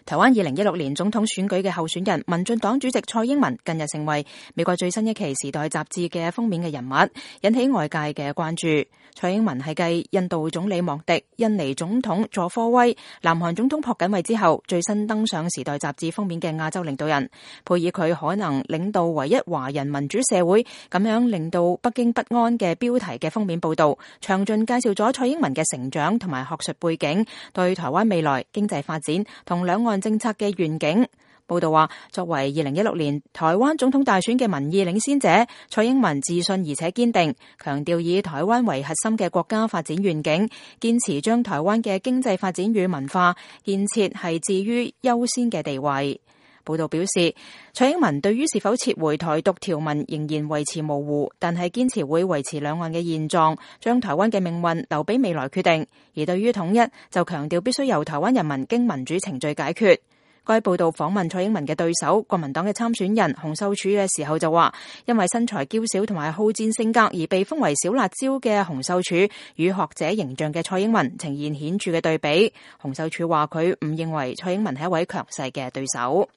台灣2016年總統選舉嘅候選人民進黨主席蔡英文近日成為美國最新一期《時代》雜誌嘅封面嘅人物，引起外界嘅關注。蔡英文係繼印度總理莫迪、印尼總統佐科威、南韓總統朴槿惠之後，最新登上《時代》雜誌封面嘅亞洲領導人，配以佢可能領導唯一華人民主社會，咁樣令到北京不安嘅標題嘅封面報道，詳盡介紹咗蔡英文嘅成長同埋學術背景，對台灣未來經濟發展同兩岸政策嘅願景。報道話，作為2016年台灣總統大選嘅民意領先者，蔡英文自信而且堅定，強調以台灣為核心嘅國家發展願景，堅持將台灣嘅經濟發展與文化建設係置於優先嘅地位。報道表示，蔡英文對於是否撤回台獨條文仍然維持模糊，但係堅持會維持兩岸嘅現狀，將台灣嘅命運留俾未來決定。而對於統一，就強調必須由台灣人民經民主程序解決。該報道訪問蔡英文嘅對手國民黨嘅參選人洪秀柱嘅時候就話，因為身材嬌小同埋好戰性格而被封為小辣椒嘅洪秀柱，與學者形象嘅蔡英文呈現顯著嘅對比。洪秀柱話佢唔認為蔡英文係一位強勢嘅對手。